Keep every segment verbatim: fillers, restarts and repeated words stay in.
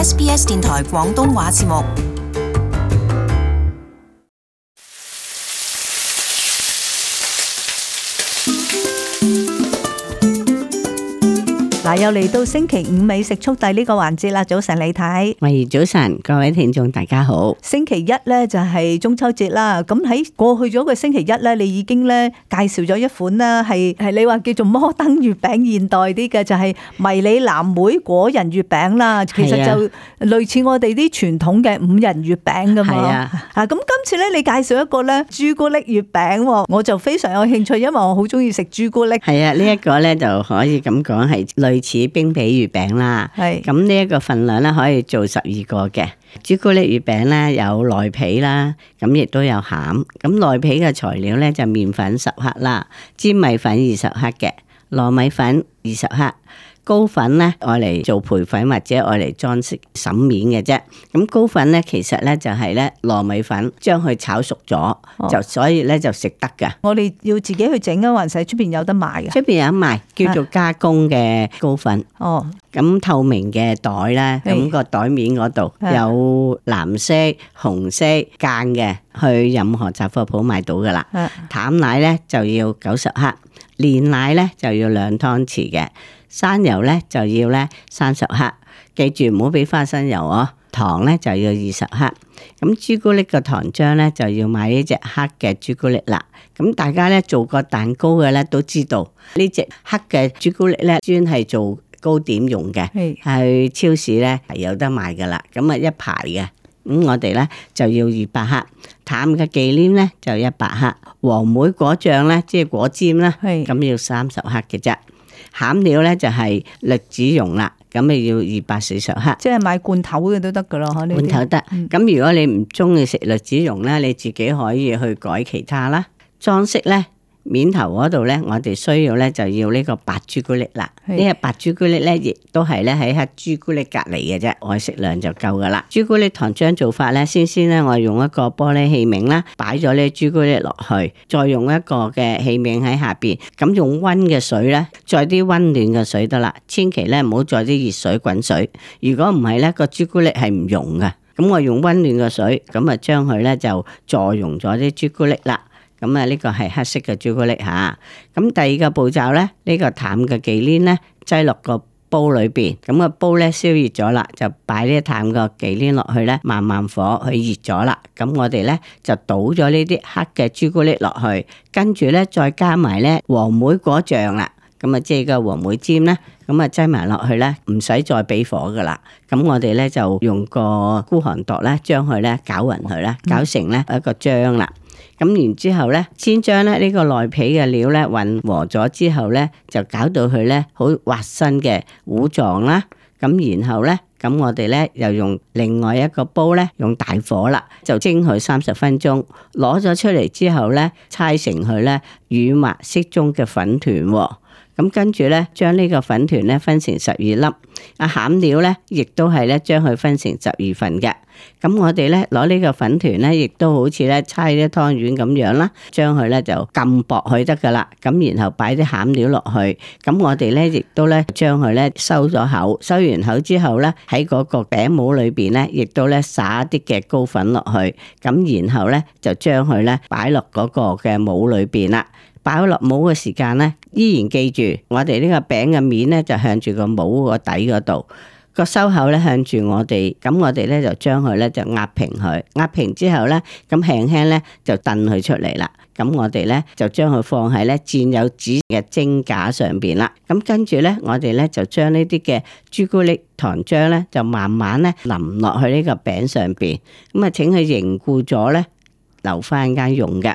S B S 電台廣東話節目。嗱，又嚟到星期五美食速遞呢個環節啦。早晨李太，喂，早晨，各位聽眾大家好。星期一咧就係中秋節啦。咁喺過去咗個星期一咧，你已經咧介紹咗一款啦，係係你話叫做摩登月餅，現代啲嘅就係迷你藍莓果仁月餅啦。其實就類似我哋啲傳統嘅五仁月餅噶嘛。係啊。啊，咁今次咧你介紹一個咧朱古力月餅，我就非常有興趣，因為我好中意食朱古力。係啊，呢一個咧就可以咁講係類似冰皮月餅啦，係咁呢一個份量咧可以做十二個嘅。朱古力月餅咧有內皮啦，咁亦都有餡。咁內皮嘅材料咧就麵粉十克啦，粘米粉二十克嘅，糯米粉二十克。糕粉咧愛嚟做培粉或者愛嚟裝飾沈面嘅啫。咁糕粉咧其實咧就係咧糯米粉將佢炒熟咗，哦、就所以咧就食得噶。我哋要自己去整啊，還是喺出邊有得賣嘅？出邊有得賣，叫做加工嘅糕粉。哦，咁透明嘅袋咧，咁個袋面嗰度有藍色、紅色間嘅，去任何雜貨鋪買到噶啦。淡奶咧就要九十克，煉奶咧就要兩湯匙嘅。生油咧就要咧三十克，記住唔好俾花生油哦。糖咧就要二十克。咁朱古力個糖漿咧就要買呢隻黑嘅朱古力啦。咁大家咧做過蛋糕嘅咧都知道呢隻黑嘅朱古力咧專係做糕點用嘅，係超市咧係有得賣噶啦。咁啊一排嘅，咁我哋咧就要二百克。淡嘅忌廉咧就一百克。黃莓果醬咧即係果尖啦，咁要三十克嘅啫。餡料咧就係栗子蓉啦，咁咪要二百四十克，即係買罐頭嘅都得噶咯，罐頭得。咁、嗯、如果你唔中意食栗子蓉咧，你自己可以去改其他啦。裝飾咧，面頭嗰度咧，我哋需要咧就要呢個白朱古力啦。呢個白朱古力咧，亦都係咧喺黑朱古力隔籬嘅啫，愛適量就夠噶啦。朱古力糖漿做法咧，先先咧我用一個玻璃器皿啦，擺咗呢朱古力落去，再用一個嘅器皿喺下邊，咁用溫嘅水咧，再啲溫暖嘅水得啦，千祈咧唔好再啲熱水滾水。如果唔係咧，個朱古力係唔溶噶。咁我用溫暖嘅水，咁啊將佢咧就助溶咗啲朱古力啦。咁啊，呢個係黑色嘅朱古力吓。咁第二個步驟咧，呢個淡嘅忌廉咧，擠落個煲裏邊。咁個煲咧燒熱咗啦，就擺呢淡嘅忌廉落去咧，慢慢火去熱咗啦。咁我哋咧就倒咗呢啲黑嘅朱古力落去，跟住咧再加埋咧黃莓果醬啦。咁啊，即係個黃莓尖咧，咁啊擠埋落去咧，唔使再俾火噶啦。咁我哋咧就用個孤寒度咧，將佢咧攪勻佢啦，攪成咧一個漿啦。咁然之後咧，先將咧呢個內皮嘅料咧混和咗之後咧，就搞到佢咧好滑身嘅糊狀啦。咁然後咧，咁我哋咧又用另外一個煲咧，用大火啦，就蒸佢三十分鐘。攞咗出嚟之後咧，搓成佢咧軟滑適中嘅粉團。咁跟住咧，將呢個粉團咧分成十二粒。啊，餡料咧，亦都係咧將佢分成十二份嘅。咁我哋咧攞呢個粉團咧，亦都好似咧搓啲湯圓咁樣啦，將佢咧就撳薄佢得噶啦。咁然後擺啲餡料落去。咁我哋咧亦都咧將佢咧收咗口，收完口之後咧喺嗰個餅模裏邊咧，亦都咧撒啲嘅糕粉落去。咁然後咧就將佢咧擺落嗰個嘅模裏邊啦。擺落模嘅時間咧，依然記住我哋呢個餅嘅面咧就向住個模個底嗰度，個收口咧向住我哋，咁我哋咧就將佢咧就壓平佢，壓平之後咧，咁輕輕咧就掟佢出嚟啦。咁我哋咧就將佢放喺咧沾有紙嘅蒸架上邊啦。咁跟住咧，我哋咧就將呢啲嘅朱古力糖漿咧就慢慢咧淋落去呢個餅上邊。咁啊，請佢凝固咗咧，留翻間用嘅。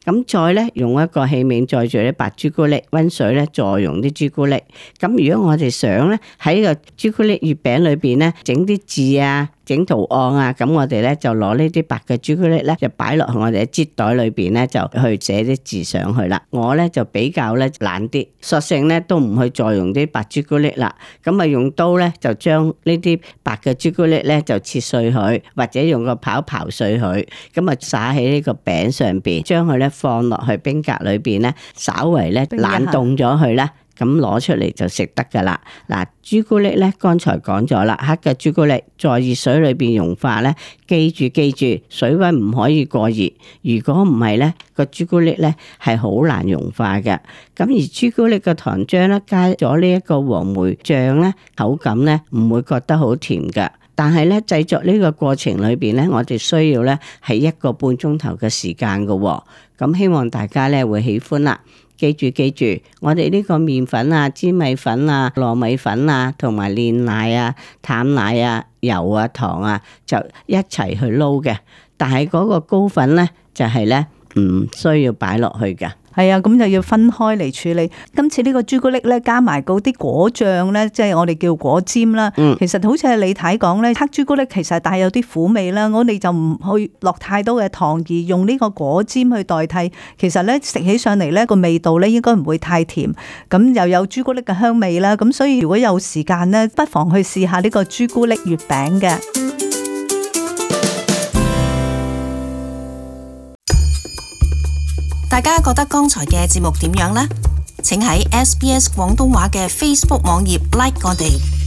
咁再咧用一個器皿載住啲白朱古力，溫水咧助溶啲朱古力。咁如果我哋想咧喺個朱古力月餅裏邊咧整啲字啊，整圖案啊，咁我哋咧就攞呢啲白嘅朱古力咧，就擺落去我哋嘅擠袋裏邊咧，就去寫啲字上去啦。我咧就比較咧懶啲，索性咧都唔去再用啲白朱古力啦。咁啊用刀咧就將呢啲白嘅朱古力咧就切碎佢，或者用個刨刨碎佢，咁啊撒喺呢個餅上邊，將佢咧放落去冰格裏邊咧，稍為咧冷凍咗佢啦。咁攞出嚟就食得噶啦。嗱，朱古力咧，剛才講咗啦，黑嘅朱古力在熱水裏邊融化咧，記住記住，水溫唔可以過熱。如果唔係咧，個朱古力咧係好難融化嘅。咁而朱古力嘅糖漿咧，加咗呢一個黃梅醬咧，口感咧唔會覺得好甜㗎。但係咧，製作呢個過程裏邊咧，我哋需要咧係一個半鐘頭嘅時間㗎喎。咁希望大家咧會喜歡啦。記住記住，我哋呢個麵粉啊、粘米粉啊、糯米粉啊、同埋煉奶啊、淡奶啊、油啊、糖啊，就一齊去撈嘅。但係嗰個糕粉咧，就係咧唔需要擺落去嘅。係啊，咁就要分開嚟處理。今次呢個朱古力咧，加埋嗰啲果醬咧，即係我哋叫果尖啦。嗯，其實好似係李太講咧，黑朱古力其實帶有啲苦味啦。我哋就唔去落太多嘅糖，而用呢個果尖去代替。其實咧食起上嚟咧個味道咧應該唔會太甜，咁又有朱古力嘅香味啦。咁所以如果有時間咧，不妨去試下呢個朱古力月餅嘅。大家覺得剛才嘅節目點樣呢？請喺 S B S 廣東話嘅 Facebook 網頁 like 我哋。